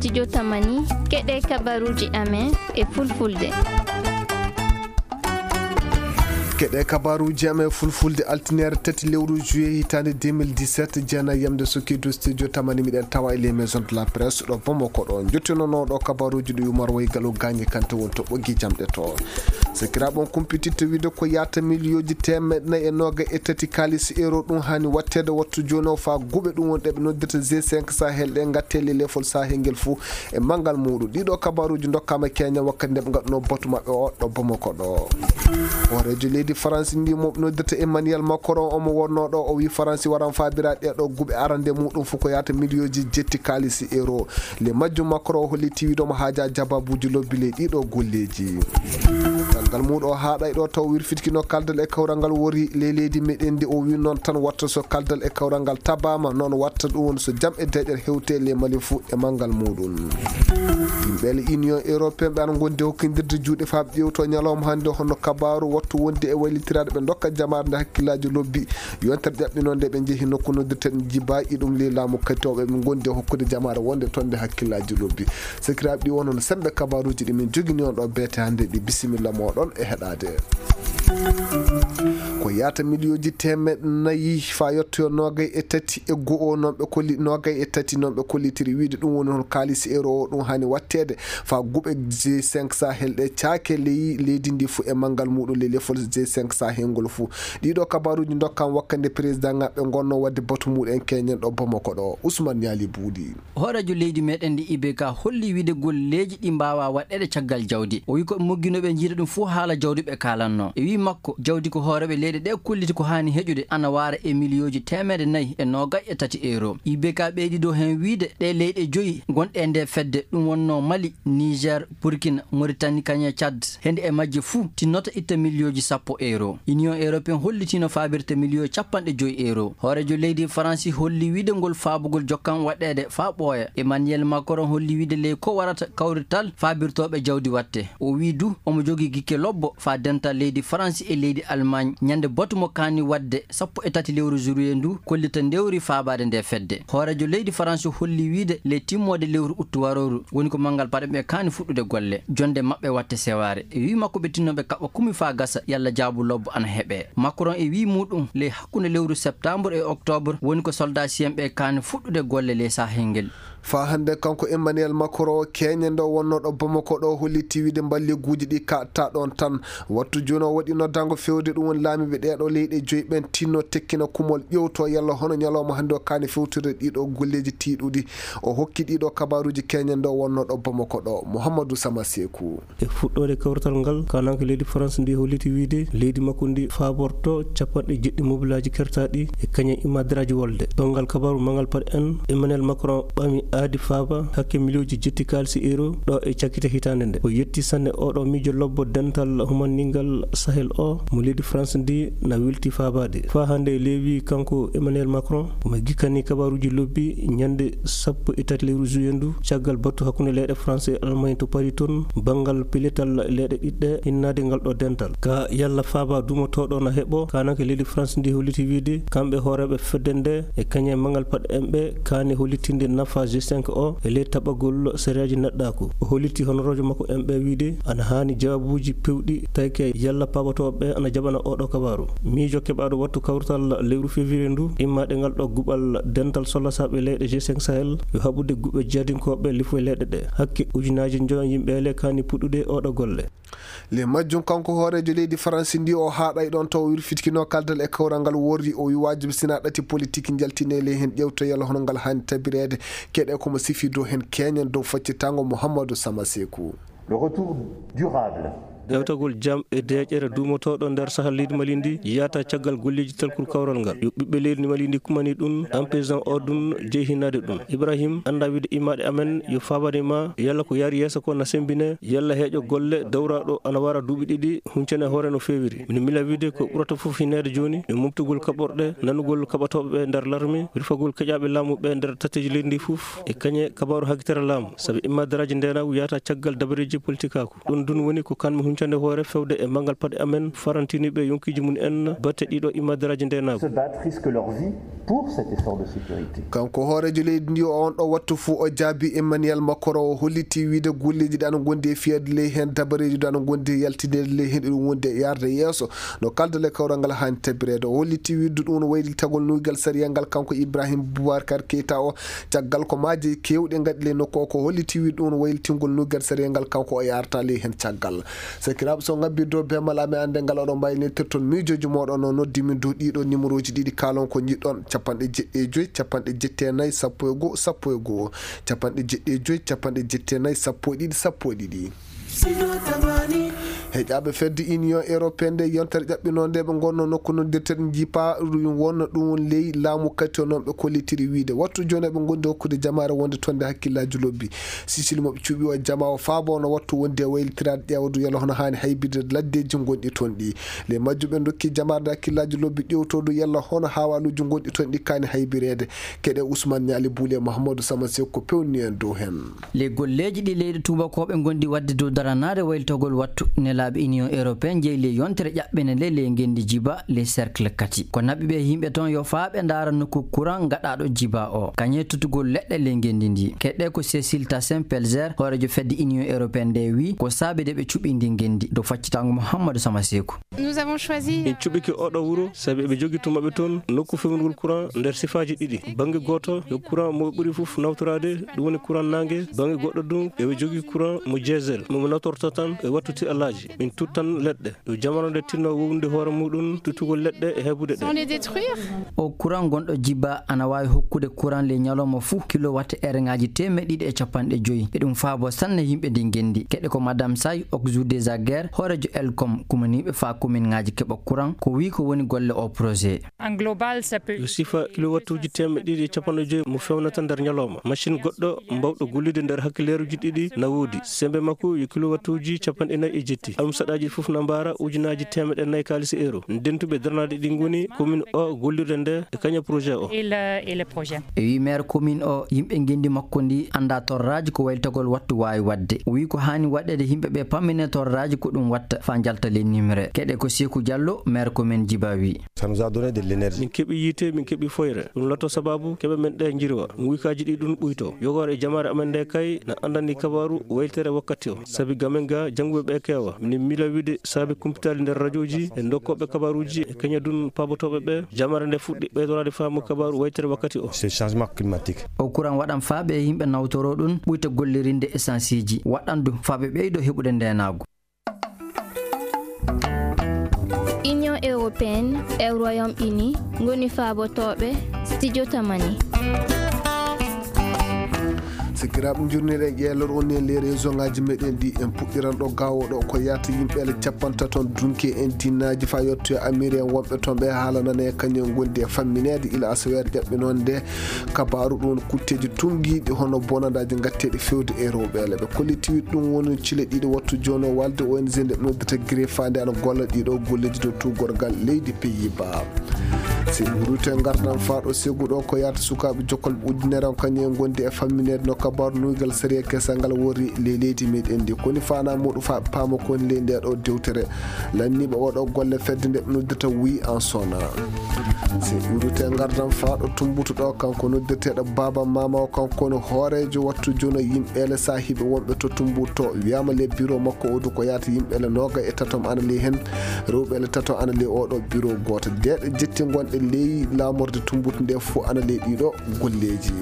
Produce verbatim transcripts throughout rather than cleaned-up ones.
Studio Tamani, keɗe kabaruuji amen e fulfulde. Keɗe kabaruuji amen e fulfulde, altineere tati lewru juillet hitaande deux mille dix-sept, jeenayi yamde Sokidu, Studio Tamani, miɗen tawa e les maisons de la presse ɗo Bamako ɗo. Njottinonooɗo kabaruuji ɗi Umar Waygalu Gaañi Kante won to ɓoggi jamɗe to. Sakiraaɓe, on kumpititta wiide ko yaata miliyooji teemeɗɗe nayi e noogay e tati kaalis euro ɗum haani watteede wattu jooni o faa guɓe ɗum won ɗe ɓe noddirta G cinq Sahel ɗe ngatte le lefol Sahel ngel fuu e manngal muuɗum. Ɗiɗo kabaruuji ndokkaama Keña wakkati nde ɓe ngaɗunoo batu maɓɓe o ɗo Bamako ɗo. Hooreejo leydi Faransi ndi mo ɓe noddirta Emmanuel Macron omo wonnoo ɗo, o wii Faransi waran faabira ɗee ɗo guɓe arande muuɗum fof ko yaata miliyooji jetti kaalis euro. Le majjum Macron o holliti wiide omo haaja jababuuji lobbi ley ɗiɗo golleeji. Caggal muuɗum o haaɗay ɗo taw wirfitkino kaldal e kawral ngal wori ley leydi meɗen ndi, o wii noon tan watta so kaldal e kawral ngal tabaama, noon watta ɗum woni so jam e deeƴere hewte ley Mali fuu e manngal muuɗum. Yimɓe le Union Européenne ɓe ana ngondi hokkindirde juuɗe faa ɓe ƴeewto ñalawma hannde hono kabaaru wattu wonde e waylitiraaɗo ɓe ndokka jamaare nde hakkillaaji lobbi. Yontere ƴaɓɓinoo nde ɓe njehi nokku noddirteeɗo Jiba, iɗum ley laamu katooɓe ɓe ngondi e hokkude jamaare wonde toon nde hakkillaaji lobbi. Sakiraaɓe, ɗi wonno semmbe kabaruuji ɗi min njogini on ɗo beete hannde ɗi. Bisimilla mooɗon e heɗaade. Ko yaata miliyooji teemeɗɗe nayi faa yottoyo noogay e tati e go'o noon ɓe kolli, noogay e tati noon ɓe kollitiri wiide ɗum woni hol kaalis euro o ɗum haani watteede faa guɓe G cinq Sahel ɗe caake ley leydi ndi fuu e manngal muuɗum ley lefol G cinq Sahel ngol fuu. Ɗiɗo kabaruuji ndokkaama wakkati nde président ngaɓe ngonnoo waɗde batu muuɗum en keñen ɗo Bamako ɗo. Ousmane Niali Buuɗi. Hooreejo leydi meɗen ndi I B K holli wiide golleeji ɗi mbaawaa waɗeede caggal jawdi. O wii ko ɓe mogginoo ɓe njiida ɗum fuu haala jawdi ɓe kaalannoo. E wii makko, jawdi ko hooreeɓe leyɗe ɗe kolliti ko haani heƴude ana waara e miliyooji teemeɗɗe nayi e noogay e tati euro. I B K ɓeydi dow heen wiide ɗe leyɗe joyi gonɗe e nde fedde, ɗum wonnoo Mali, Niger, Burkina, Mauritanie, kañum e Tchad. Hende e majje fuu tinnoto itta miliyooji sappo euro. Union Européenne hollitiino faabirta miliyoo capanɗe joyi euro. Hooreejo leydi Faransi holli wiide ngol faabugol jokkan waɗeede faa ɓooya. Emmanuel Macron holli wiide ley ko warata kawrital faabirtooɓe jawdi watte. O wii du omo jogii gikke lobbo faa dental leydi Faransi e leydi Almaañ ñande batu mo kaani waɗde sappo e tati lewru juillet ndu kollita ndewri faabaade nde fedde. Hooreejo leydi Faransi holli wiide ley timmoode lewru uttu warooru woni ko manngal paɗe ɓe kaani fuɗɗude golle. Jonde maɓɓe watte sewaare. E wii makko ɓe tinnooɓe kaɓa kumi faa gasa yalla jaabu lobbo ana heɓee. Macron e wii muuɗum ley hakkunde lewru septembre e octobre woni ko soldat siyen ɓe kaani fuɗɗude golle ley Sahel ngel. Faa hannde kanko Emmanuel Macron keñe nde wonnoo ɗo Bamako ɗo holliti wiide mballeguuji ɗi kaɗta ɗoon tan. Wattu jooni o waɗi noddaango fewde ɗum woni laamiiɓe ɗee ɗo leyɗe joyi ɓeen tinno tekkina kumol ƴewto yalla hono ñalawma hannde o kaani fewtude ɗiɗo golleeji tiiɗuɗi. O hokki ɗiɗo kabaruuji keñe nde wonnoo ɗo Bamako ɗo. Mouhamadou Sama Sekou. E fuɗɗoode kawrital ngal, kaananke leydi France ndi holliti wiide leydi makko ndi faaborto capanɗe jeɗɗi mobilaaji kertaaɗi e kañe imadiraaji wolde. Banngal kabaaru manngal paɗe en, Emmanuel Macron ɓami aadi faaba hakke miliyooji jetti kaalisi euro ɗo e cakkite hitaande nde. O yetti sanne oɗo miijo lobbo dental humanningal Sahel o mo leydi France ndi na wilti faabaade. Faa hannde leewi kanko Emmanuel Macron omo gikkani kabaaruuji lobbi ñande sappo e tati lewru juillet ndu caggal batu hakkunde leyɗe France e Allemagne to Paris toon banngal peletal leyɗe ɗiɗɗe innaade ngal ɗo dental. Ka yalla faaba duumotooɗo na heɓo, kaananke leydi France ndi holliti wiide kamɓe hooreeɓe fedde nde e kañe manngal paɗe en ɓe kaani hollitinde nafa G cinq o e ley taɓagol sariyaaji neɗɗaaku. O holliti honoroojo makko en ɓe wiide ana haani jawaabuuji pewɗi tawke yalla paabatooɓe ɓe ana jaɓana oɗo kabaaru. Miijo keɓaaɗo wattu kawrital lewru février ndu immaade ngal ɗo guɓal dental sollasaaɓe leyɗe G cinq Sahel yo haɓude guɓe jadinkooɓe lifo e leyɗe ɗe. Hakke ujunaaji njoyo yimɓe le kaani puɗɗude oɗo golle. Le majjum kanko hooreejo leydi Faransi ndi o haaɗay ɗoon taw wirfitkino kaldal e kawral ngal worri o wi waajibi sina ɗati politique njaltine le heen ƴewto yalla hono ngal haani tabireede keɗe komo sifi dow heen keñen dow faccitango Mouhamadou Sama Sekou. Le retour durable. Dewtagol jam e deeƴere duumotooɗo nder sahal leydi Mali ndi yaata caggal golleeji telkol kawral ngal. Yo ɓiɓɓe leydi Mali ndi kumani ɗum, en paysan o ɗum jeyhinaade ɗum. Ibrahim annda wiide immaaɗe amen yo faabani ma yalla ko yaari yeeso ko na sembine, yalla heeƴo golle dowraaɗo ana wara duuɓi ɗiɗi, huncane hoore no feewiri. Mino mila wiide ko ɓurata fof hineede jooni, yo mobtugol kaɓorɗe, nanugol kaɓatooɓe ɓe nder larme, wirfagol keƴaaɓe laamu ɓe nder tatteeji leydi ndi fof, e kañe kabaaru hakitere laamu. Sabi immadaraaji ndeenaagu yaata caggal dabareeji politikaaku. Ɗum ɗum woni ko kan mi hunca Nde hoore fewde e manngal paɗe amen, farantiniiɓe yonkiiji mum en batte ɗiɗo imadaraaji ndeenaagu. Se battre, risquent leur vie pour cet effort de sécurité. Kanko hooreejo leydi ndi, o on ɗo wattu fuu o jaabi Emmanuel Macron, o holliti wiide golleeji ɗi ana ngondi e fiyaade ley heen, dabareeji ɗi ana ngondi e yaltineede ley heen, ɗum wondi e yaarde yeeso. No kalda le kawral ngal haani tabireede, o holliti wiide ɗum no waylitagol nuygal sariyal ngal kanko Ibrahim Boubacar Keita o, caggal ko maaje keewɗe ngaɗi ley nokku o, ko holliti wiide ɗum no waylitingol nuygal sariyal ngal kanko o yaarta ley heen caggal. Sakiraaɓe, so ngabbii dow beemal amen annde ngal, oɗon mbaawi neltirde toon miijooji mooɗon, no noddi min dow ɗiɗo numéroji ɗiɗi, kaalon ko njiɗɗon, capanɗe jeɗɗi e joy, capanɗe jetti e nayi, sappo e goo, sappo e goo, capanɗe jeɗɗi e joy, capanɗe jetti e nayi, sappo e ɗiɗi, sappo e ɗiɗi. Heƴaaɓe fedde Union Européenne nde, yontere ƴaɓɓinoonde ɓe ngonno nokku noddirteeɗo Jipa, ɗum wonno ɗum won ley laamu kati o noon ɓe kollitiri wiide wattu jooni ɓe ngondi hokkude jamaare wonde toon nde hakkillaaji lobbi. Sicile mo ɓe cuɓi o jama o faabo no wattu wondi e waylitiraade ƴeewdu yalla hono haani haybirde laddeeji ngonɗi toon ɗi. Ley majjum ɓe ndokki jamaare nde hakkillaaji lobbi ƴeewtoodu yalla hono haawaaluuji ngonɗi toon ɗi kaani haybireede. Keɗe Ousmane Niali Boule e Mahamadou Sama Seck ko pewni en dow heen. Ley golleeji ɗi leyɗe tuubakooɓe ngondi waɗde dow daranaade waylitagol wattu nelaaɓe Union Européenne jeyi ley yontere ƴaɓɓene nde ley ngenndi Jiba ley cercle kati. Ko naɓi ɓe yimɓe toon yo faa ɓe ndaara nokku courant gaɗaaɗo Jiba o. Kañe tutugol leɗɗe ley ngenndi ndi. Keɗe ko Cécile Tassin Pelzer, hooreejo fedde Union Européenne nde wi ko saabi de ɓe cuɓi ndi ngenndi. Dow faccitaango Mouhamadou Sama Seeku. Nous avons choisi. Min cuɓike oɗo wuro sabi eɓe jogi to maɓɓe toon nokku fewnugol courant nder sifaaji ɗiɗi. Bannge gooto, yo courant mo ɓe ɓuri fof nawtoraade, ɗum woni courant naange. Bannge goɗɗo ɗum, eɓe jogi courant mo diesel, mo ɓe nawtorta tan e wattu tiɗalaaji. Min tuttan leɗɗe. Ɗo jamano nde tinno wowlude hoore muɗum, tuttugol leɗɗe e heɓude ɗe. Sans les détruire. O courant gonɗo Jiba ana waawi hokkude courant ley ñalawma fuu kilowatt heure ŋaaji teemeɗɗe ɗiɗi e capanɗe joy. E ɗum faabo sanne yimɓe ndi ngenndi. Keɗe ko Madame Say, Oxou des Aguerre, hooreejo Elcom, kumaniiɓe faa komin ŋaaji keɓa courant, ko wii ko woni golle o projet. En global, ça peut. Yo sifa kilowattuuji teemeɗɗe ɗiɗi e capanɗe joy mo fewnata nder ñalawma. Machine goɗɗo mbawɗo gollude nder hakkileeruuji ɗiɗi na woodi. Semmbe makko yo kilowattuuji capanɗe nayi e jetti. Almusaɗaaji fof na mbaara ujunaaji teemeɗɗe nayi kaalis euro. Dentuɓe darnaaɗe ɗi ngoni komin o gollirde nde e kaña projet o. Et le, et le projet. E wi maire commune o, yimɓe ngenndi makko ndi annda torraaji ko waylitagol wattu waawi waɗde. O wi ko haani waɗeede yimɓe ɓe pammine torraaji ko ɗum watta faa njalta ley nimre. Keɗe ko Seeku Jallo, maire commune Jiba wi. Ça nous a donné de l'énergie. Min keɓi yiite, min keɓi foyre. Ɗum laato sababu keɓe men ɗe njirwa. Nguykaaji ɗi ɗum ɓuyto. Yogoore e jamaare amen nde kay na anndani kabaaru waylitere wakkati o. Sabi gamen ga jannguɓe ɓe keewa. Min miila wiide saabe kumpitaali nder rajooji e ndokkooɓe kabaaruuji e kañadun paabotooɓe ɓe. Jamaare nde fuɗɗi ɓeydoraade faamu kabaaru waylitere wakkati o. C'est changement climatique. O courant waɗan faa ɓe yimɓe nawtoro ɗum ɓuyta gollirinde essence ji. Waɗan ɗum faa ɓe ɓeydo heɓude ndeenaagu. Union européenne e Royaume-Uni ngoni faabotooɓe Studio Tamani. Sakiraaɓe, njurnir e ƴeelor on e les région ngaji meɗen ɗi. En puɗɗiran ɗo gawoɗo ko yata yimɓe ele capantato dunke en dinnaaji fa yotto e Amérique wonɓe toon ɓe haalanane e kañum gondi e fammineede ila asaweere ƴaɓɓinoon nde. Kabaaru ɗum woni kutteeji tunngiiɗi hono bonandaaji ngatteeɗi fewde e rewɓe ele. Ɓe kolliti wiide ɗum woni cile ɗiɗi wattu jooni o walde O N G nde ɓe noddata Griffa nde ana golla ɗiɗo golleeji dow tuugorgal leydi Pays-Bas. Si ɓe rutte ngartan faaɗo segu ɗo ko yahata sukaaɓe jokkolɓe ujunere on kañum en ngondi e fammineede no kabaaru nuygal sariya kesal ngal worri ley leydi meɗen ndi. Koni faanaa muɗum faa ɓe paama koni ley nde ɗo dewtere. Lanniiɓe oɗo golle fedde nde ɓe noddata Wi Ansona. Si ɓe rutte ngardan faaɗo Tumbutu ɗo, kanko noddirteeɗo Baaba Maama o, kanko woni hooreejo wattu jooni yimɓe ele saahiiɓe wonɓe to Tumbutu to. Wiyaama le bureau makko o du ko yahata yimɓe ele noogay e tato ana ley heen, rewɓe ele tato ana ley oɗo bureau gooto. Deeɗe jetti ngonɗe ley laamorde Tumbutu nde fof ana ley ɗiɗo golleeji.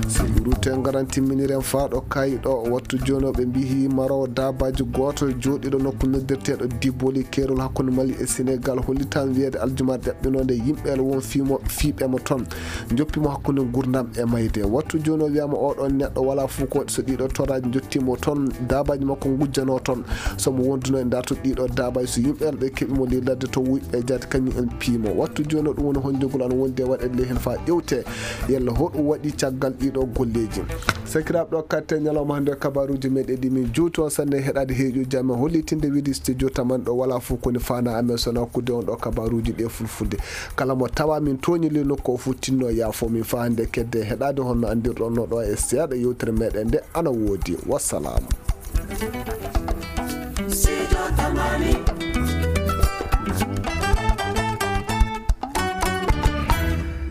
Si ɓe rutte ngaran timminiren faaɗo Kayi ɗo, wattu jooni o ɓe mbihi marowo daabaaji gooto jooɗiiɗo nokku noddirteeɗo Diboli, keerol hakkunde Mali e Senegal, hollitaama wiyeede aljumaa ƴaɓɓinoonde yimɓe ele won fiimo, fiiɓe mo toon, njoppi mo hakkunde nguurndam e mayde. Wattu jooni o wiyaama oɗon neɗɗo walaa fof ko waɗi so ɗiɗo torraaji njottii mo toon, daabaaji makko ngujjanoo toon. So mo wonduno e ndartude ɗiɗo daabaaji, so yimɓe ele ɓe keɓi mo ley ladde to wuyɓe jaati kañum en piimo. Wattu jooni o ɗum woni honjogol ana wondi e waɗeede ley heen faa ƴewte yalla hoɗum waɗi caggal ɗiɗo golleeji. Sakiraaɓe, ɗo katte ñalawma hannde kabaaruuji meɗen ɗi min juuti on sanne heɗaade heeƴuuji amen hollitinde wiide studio taman ɗo walaa fof koni faanaa amen so nakkude on ɗo kabaaruuji ɗi e fulfulde. Kala mo tawa min tooñi ley nokku o fof tinno yaafo min faa hannde kedde heɗaade honno anndirɗon no ɗo e seeɗa yewtere meɗen nde ana woodi. Wassalaamu. Sijo tamani.